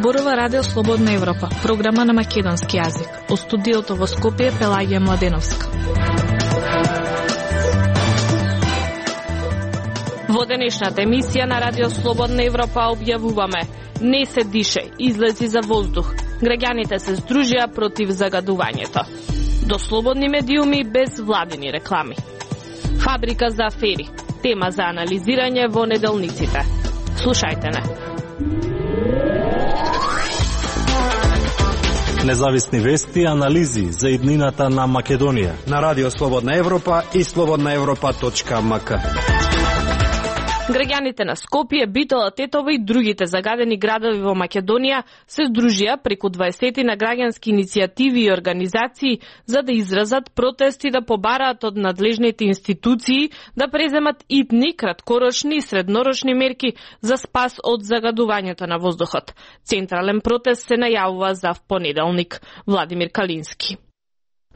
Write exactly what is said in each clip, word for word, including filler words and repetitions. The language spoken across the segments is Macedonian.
Зборува Радио Слободна Европа, програма на македонски јазик. Во студиото во Скопје Пелагија Младеновска. Во денешната емисија на Радио Слободна Европа објавуваме: не се дише, излези за воздух. Граѓаните се здружија против загадувањето. До слободни медиуми без владини реклами. Фабрика за афери. Тема за анализирање во неделниците. Слушајте не. Независни вести и анализи за иднината на Македонија на Радио Слободна Европа и слободна европа точка ем ка. Граѓаните на Скопје, Битола, Тетово и другите загадени градови во Македонија се здружија преку дваесет на граѓански иницијативи и организации за да изразат протест и да побараат од надлежните институции да преземат итни, краткорочни и среднорочни мерки за спас од загадувањето на воздухот. Централен протест се најавува за понеделник. Владимир Калински.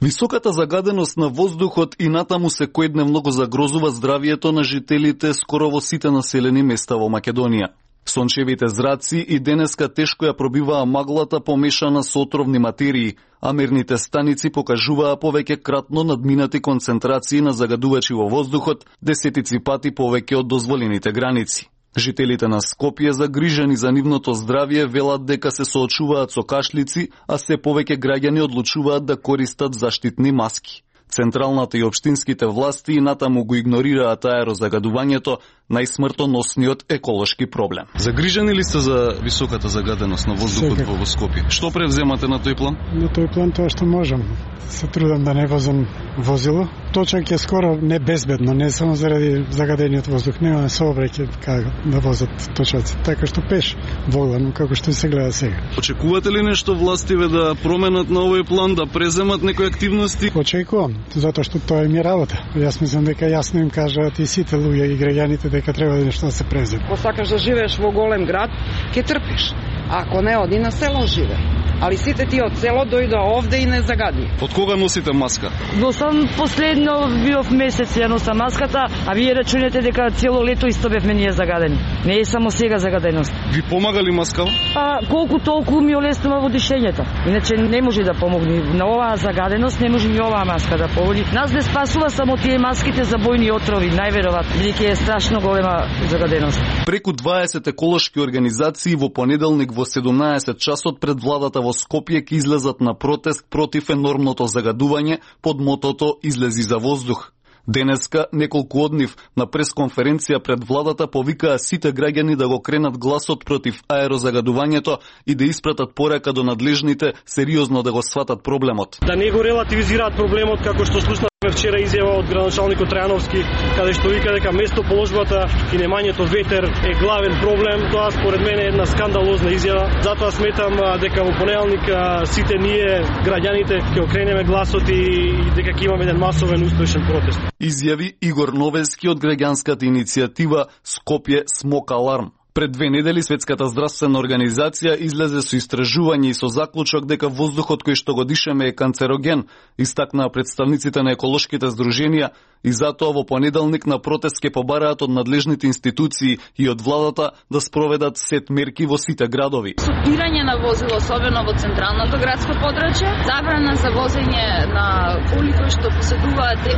Високата загаденост на воздухот и натаму секојдневно го загрозува здравието на жителите скоро во сите населени места во Македонија. Сончевите зраци и денеска тешко ја пробиваа маглата помешана со отровни материи, а мерните станици покажуваа повеќе кратно надминати концентрации на загадувачи во воздухот, десетици пати повеќе од дозволените граници. Жителите на Скопје, загрижени за нивното здравје, велат дека се соочуваат со кашлици, а се повеќе граѓани одлучуваат да користат заштитни маски. Централната и општинските власти и натаму го игнорираат аерозагадувањето, најсмртоносниот еколошки проблем. Загрижени ли сте за високата загаденост на воздухот Секак. во Скопје? Што превземате на тој план? На тој план тоа што можам. Се трудам да не возам возило. Точак е скоро не безбедно, не само заради загадениот воздух, нема сообраќај како да возат точаци. Така што пеш волам, како што се гледа сега. Очекувате ли нешто властиве да променат на овој план, да преземат некои активности? Очекувам, затоа што тоа е ми работа. Јас мислам дека јасно им кажаат и сите луѓе и граѓаните дека треба нешто да се преземе. Ако сакаш да живееш во голем град, ќе трпиш. Ако не, оди на село живе. Али сите ти од село дојдоа овде и не загади. Од кога носите маска? Носам последно биов месец ја носам маската, а вие рачунете дека цело лето исто бевме ние загадени. Не е само сега загаденост. Ви помага ли маска? А колку толку ми олеснува во дишењето. Иначе не може да помогне. На оваа загаденост не може ни оваа маска да поводи. Нас не спасува само тие маските за бојни отрови, најверојатно, бидејќи е страшно голема загаденост. Преку дваесет еколошки организации во понеделник во седумнаесет часот пред владата во Скопје ќе излезат на протест против енормното загадување под мотото "Излези за воздух". Денеска неколку од нив на пресконференција пред владата повикаа сите граѓани да го кренат гласот против аерозагадувањето и да испратат порака до надлежните сериозно да го сватат проблемот. Да не го релативизираат проблемот, како што слушнавме вчера изјава од градоначалникот Трајановски, каде што вика дека место положбата и немањето ветер е главен проблем. Тоа според мене е една скандалозна изјава. Затоа сметам дека во понеделник сите ние граѓаните ќе окренеме гласот и дека ќе имаме еден масовен успешен протест. Изјави Игор Новески од граѓанската иницијатива Скопје Смок Аларм. Пред две недели Светската здравствена организација излезе со истражување и со заклучок дека воздухот кој што го дишеме е канцероген, истакнаа представниците на еколошките здруженија, и затоа во понеделник на протест ќе побараат од надлежните институции и од владата да спроведат сет мерки во сите градови. Супирање на возило, особено во централното градско подрачје, забрана за возење на коли кои што поседуваат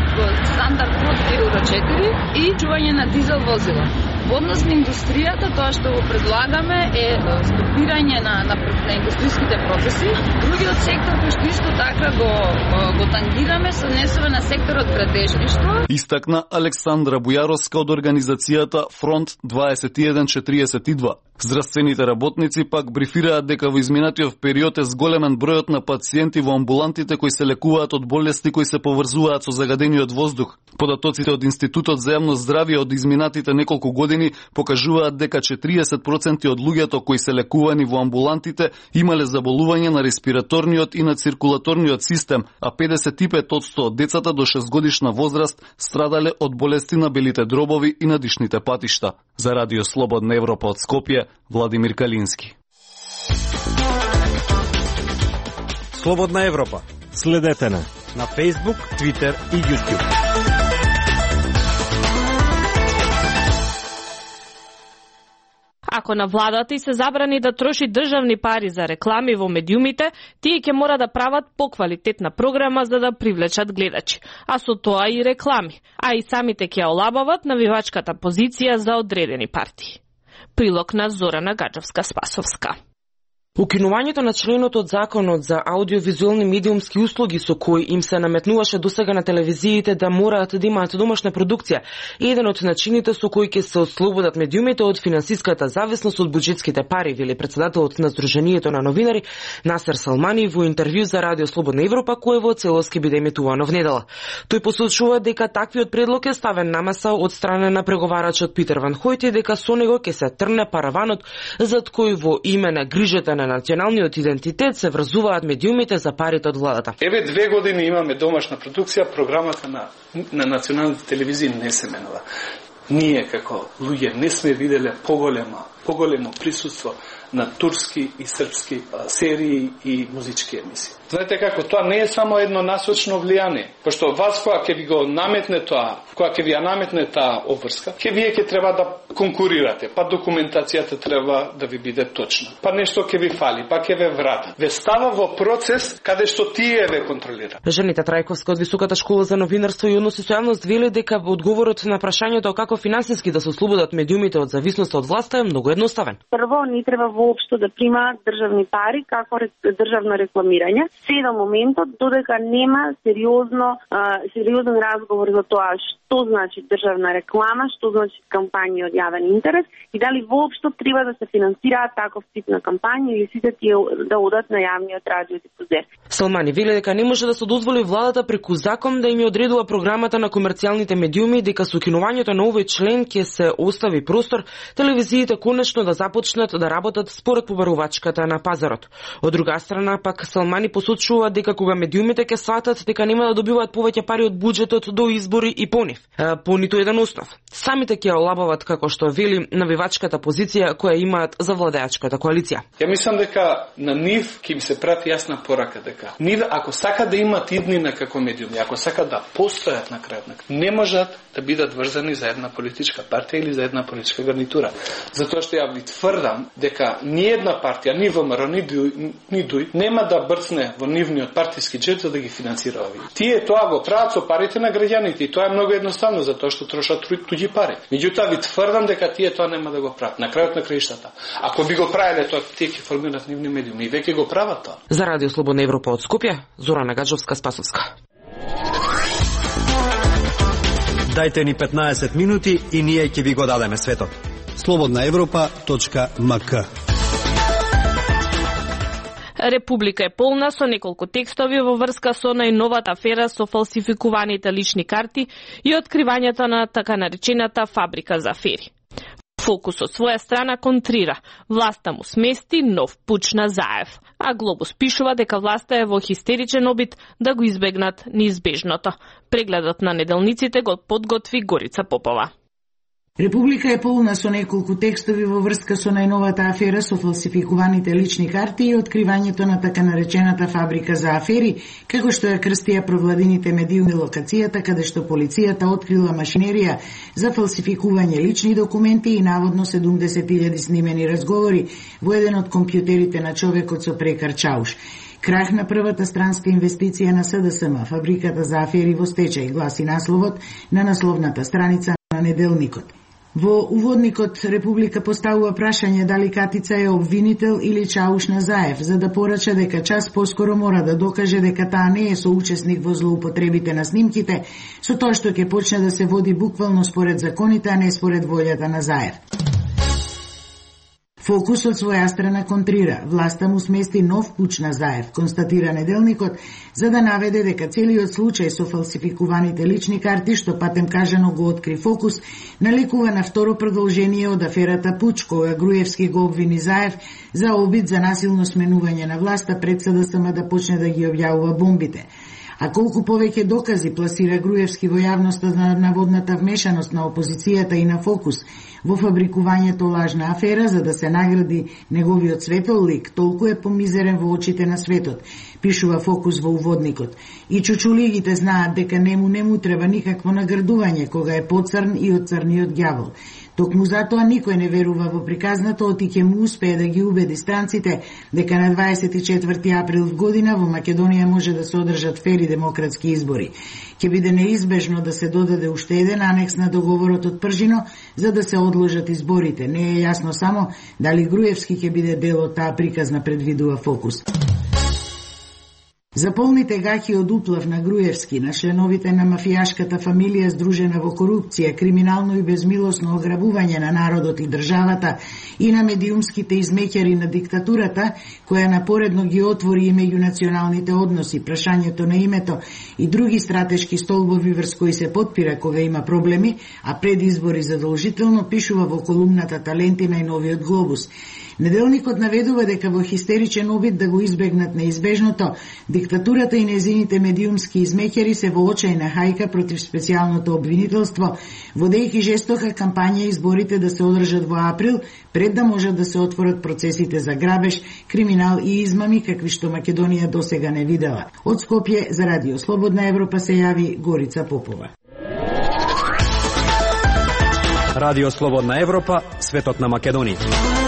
стандард под Евро четири и чување на дизел возила. Во однос на индустријата, тоа што го предлагаме е стопирање на, на, на индустријските процеси. Другиот сектор кој што исто така го, го тангираме се однесува на секторот градежништво. Истакна Александра Бујаровска од организацијата Фронт дваесет и еден четириесет и два. Здравствените работници пак брифираат дека во изминатиот период е зголемен бројот на пациенти во амбулантите кои се лекуваат од болести кои се поврзуваат со загадениот воздух. Податоците од Институтот за јавно здравје од изминатите неколку години покажуваат дека четириесет проценти од луѓето кои се лекувани во амбулантите имале заболување на респираторниот и на циркулаторниот систем, а педесет и пет одсто од децата до шестгодишна возраст страдале од болести на белите дробови и на дишните патишта. За Радио Слободна Европа од Скопје, Владимир Калински. Слободна Европа. Следете на на Facebook, Twitter и YouTube. Ако на владата и се забрани да троши државни пари за реклами во медиумите, тие ќе мора да прават поквалитетна програма за да привлечат гледачи, а со тоа и реклами, а и самите ќе олабават навивачката позиција за одредени партии. Прилог на Зорана Гаджовска-Спасовска. Укинувањето на членот од Законот за аудиовизуелни медиумски услуги со кој им се наметнуваше досега на телевизиите да мораат да имаат домашна продукција е еден од начините со кои ќе се ослободат медиумите од финансиската зависност од буџетските пари, вели председателот на Сдруженијето на новинари Насер Салмани во интервју за Радио Слободна Европа, кое во целост ќе биде емитувано внедела. Тој посочува дека таквиот предлог е ставен на маса од страна на преговарачот Питер Ван Хојт и дека со него ќе се трне параванот зад кој во име на грижата на националниот идентитет се врзуваат медиумите за парите од владата. Еве две години имаме домашна продукција, програмата на, на националните телевизии не се менува. Ние како луѓе не сме виделе поголема, поголемо присуство на турски и српски серии и музички емисии. Знаете како, тоа не е само едно насочно влијание, пошто вас која ќе ви го наметне тоа, која ќе ви ја наметне таа обврска, ќе вие ќе треба да конкурирате, па документацијата треба да ви биде точна, па нешто ќе ви фали, па ќе ве врата. Ве става во процес каде што тие ве контролира. Жанита Трајковска од Високата школа за новинарство и односи со јавност вели дека одговорот на прашањето како финансиски да се ослободат медиумите од зависност од власта е многу едноставен. Прво, не треба воопшто да примаат државни пари како државно рекламирање. Се до моментот додека нема сериозно а, сериозен разговор за тоа што значи државна реклама, што значи кампањи од јавен интерес и дали воопшто треба да се финансираат таков тип на кампањи или сите тие да одат на јавниот радиодифузер. Салмани вели дека не може да се дозволи владата преку закон да им ја одредува програмата на комерцијалните медиуми, дека со укинувањето на овој член ќе се остави простор телевизиите конечно да започнат да работат според побарувачката на пазарот. Од друга страна пак Салмани посочува дека кога медиумите ќе сватат дека нема да добиваат повеќе пари од буџетот до избори и по нив, по ниту еден основ. Самите ќе олабават, како што вели, навивачката позиција која имаат за владеачката коалиција. Ја мислам дека на нив ќе им се прати јасна порака дека нив ако сака да имат иднина како медиуми, ако сака да постојат на крајот, не можат да бидат врзани за една политичка партија или за една политичка гарнитура. Затоа што ја ви тврдам дека ни една партија, ни ВМРО, ни ДУИ, ни ДУИ нема да брцне во нивниот партиски джеб за да ги финансира овие. Тие тоа го прават со парите на граѓаните и тоа е многу едноставно затоа што трошат туѓи пари. Меѓутоа ви тврдам дека тие тоа нема да го прават. На крајот на краиштата, ако би го правеле тоа, тие ќе формираат нивни медиуми и веќе го прават тоа. За Радио Слободна Европа од Скопје, Зорана Гаджовска-Спасовска. Дајте ни петнаесет минути и ние ќе ви го дадеме светот. слободна европа точка ем ка. Република е полна со неколку текстови во врска со најновата афера со фалсификуваните лични карти и откривањето на така наречената фабрика за афери. Фокус од своја страна контрира. Власта му смести нов пуч на Заев, а Глобус пишува дека власта е во хистеричен обид да го избегнат неизбежното. Прегледот на неделниците го подготви Горица Попова. Република е полна со неколку текстови во врска со најновата афера со фалсификуваните лични карти и откривањето на така наречената фабрика за афери, како што ја крстија провладините медиуми локацијата каде што полицијата открила машинерија за фалсификување лични документи и наводно седумдесет илјади снимени разговори во еден од компјутерите на човекот со прекар Чауш. Крах на првата странска инвестиција на С Д С М, фабриката за афери во стечај, гласи насловот на насловната страница на неделникот. Во уводникот Република поставува прашање дали Катица е обвинител или Чауш на Заев, за да порача дека час поскоро мора да докаже дека таа не е соучесник во злоупотребите на снимките, со тоа што ќе почне да се води буквално според законите, а не според волјата на Заев. Фокус од своја страна контрира. Власта му смести нов пуч на Заев, констатира неделникот, за да наведе дека целиот случај со фалсификуваните лични карти, што патем кажано го откри Фокус, наликува на второ продолжение од аферата Пуч, кога Груевски го обвини Заев за обид за насилно сменување на власта пред С Д С М да почне да ги објавува бомбите. А колку повеќе докази пласира Груевски во јавноста за наводната вмешаност на опозицијата и на Фокус во фабрикувањето лажна афера за да се награди неговиот светол лик, толку е помизерен во очите на светот, пишува Фокус во уводникот. И чучулигите знаат дека нему нему треба никакво наградување кога е поцрн и од црниот ѓавол. Токму затоа никој не верува во приказната, оти ќе му успее да ги убеди странците дека на дваесет и четврти април година во Македонија може да се одржат фери демократски избори. Ќе биде неизбежно да се додаде уште еден анекс на договорот од Пржино за да се одложат изборите. Не е јасно само дали Груевски ќе биде дел од таа приказна, предвидува Фокус. За полните гаќи од уплав на Груевски, на членовите на мафијашката фамилија здружена во корупција, криминално и безмилосно ограбување на народот и државата и на медиумските измеќари на диктатурата, која напоредно ги отвори и меѓунационалните односи, прашањето на името и други стратешки столбови врз кои се потпира кога има проблеми, а пред избори задолжително, пишува во колумната Таленти на Новиот Глобус. Неделникот наведува дека во хистеричен обид да го избегнат неизбежното, диктатурата и незините медиумски измеќари се во очајна хајка против специјалното обвинителство, водејќи жестока кампања изборите да се одржат во април, пред да можат да се отворат процесите за грабеж, криминал и измами, какви што Македонија досега не видела. Од Скопје за Радио Слободна Европа се јави Горица Попова. Радио Слободна Европа, светот на Македонија.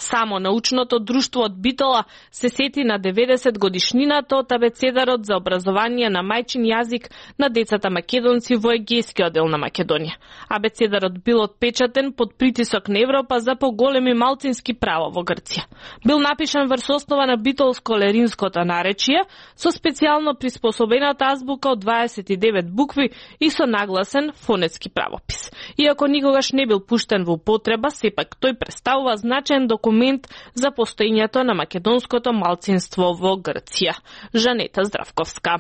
Само научното друштво од Битола се сети на деветдесет годишнината од абецедарот за образование на мајчин јазик на децата македонци во Егејскиот дел на Македонија. Абецедарот бил отпечатен под притисок на Европа за поголеми малцински права во Грција. Бил напишан врз основа на битолско-леринското наречие со специјално приспособената азбука од дваесет и девет букви и со нагласен фонетски правопис. Иако никогаш не бил пуштен во употреба, сепак тој представува значаен документ за постоењето на македонското малцинство во Грција. Жанета Здравковска.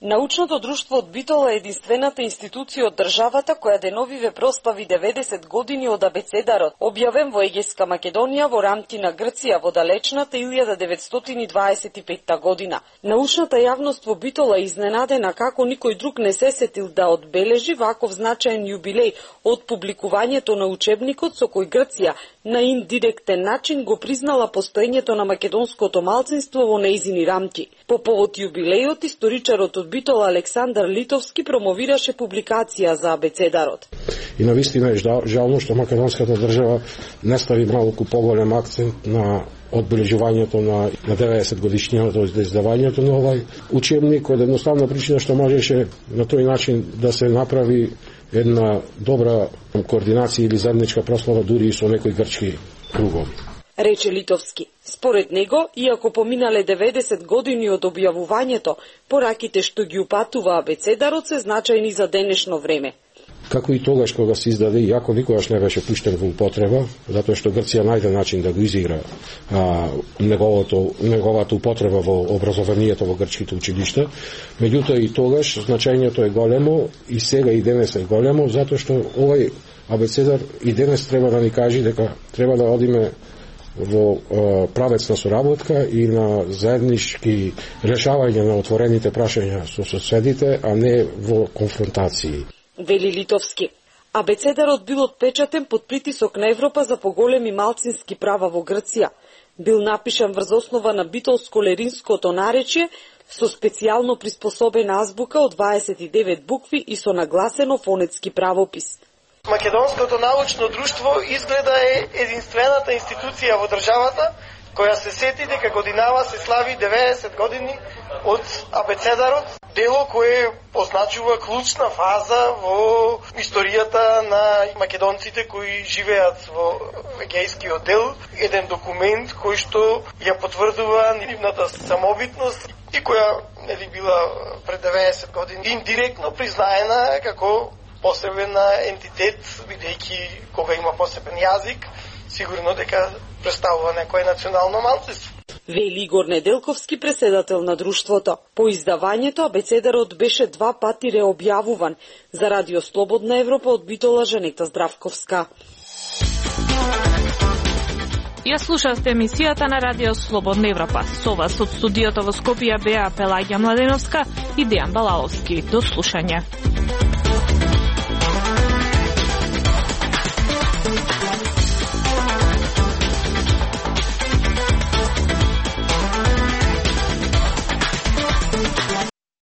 Научното друштво од Битола е единствената институција од државата која деновиве прослави деветдесет години од абецедарот, објавен во Егејска Македонија во рамки на Грција во далечната илјада деветстотини дваесет и петта година. Научната јавност во Битола е изненадена како никој друг не се сетил да одбележи ваков значаен јубилеј од публикувањето на учебникот со кој Грција на индиректен начин го признала постоењето на македонското малцинство во нејзини рамки. По повод јубилејот, историчарот од Битола Александар Литовски промовираше публикација за абецедарот. И навистина е жално што македонската држава не стави малку поголем акцент на одбележувањето на, на деветдесет годишнината од издавањето на овај учебник, од едноставна причина што можеше на тој начин да се направи една добра координација или заедничка прослава дури и со некои грчки кругови. Рече Литовски. Според него, иако поминале деветдесет години од објавувањето, пораките што ги упатува абецедарот се значајни за денешно време. Како и тогаш кога се издаде, иако никогаш не беше пуштен во употреба, затоа што Грција најде начин да го изигра а, неговото, неговата употреба во образованието во грчките училишта, меѓутоа и тогаш значањето е големо и сега и денес е големо, затоа што овај абецедар и денес треба да ни кажи дека треба да одиме во а, правец на соработка и на заеднички решавање на отворените прашања со соседите, а не во конфронтации. Вели Литовски. Абецедарот бил отпечатен под притисок на Европа за поголеми малцински права во Грција. Бил напишан врз основа на битолско-леринското наречие со специјално приспособена азбука од дваесет и девет букви и со нагласено фонетски правопис. Македонското научно друштво изгледа е единствената институција во државата која се сети дека годинава се слави деветдесет години од абецедарот, дело кое позначува клучна фаза во историјата на македонците кои живеат во Егејскиот дел, еден документ кој што ја потврдува нивната самобитност и која нели била пред деветдесет години индиректно признаена како посебен ентитет, бидејќи кога има посебен јазик, сигурно дека представува некое национално малцинство. Вели Игор Неделковски, преседател на друштвото. По издавањето абецедарот беше два пати реобјавуван. За Радио Слободна Европа од Битола Жанета Здравковска. Ја слушавте емисијата на Радио Слободна Европа. Со вас од студиото во Скопје беа Пелагија Младеновска и Дејан Балаловски. До слушање.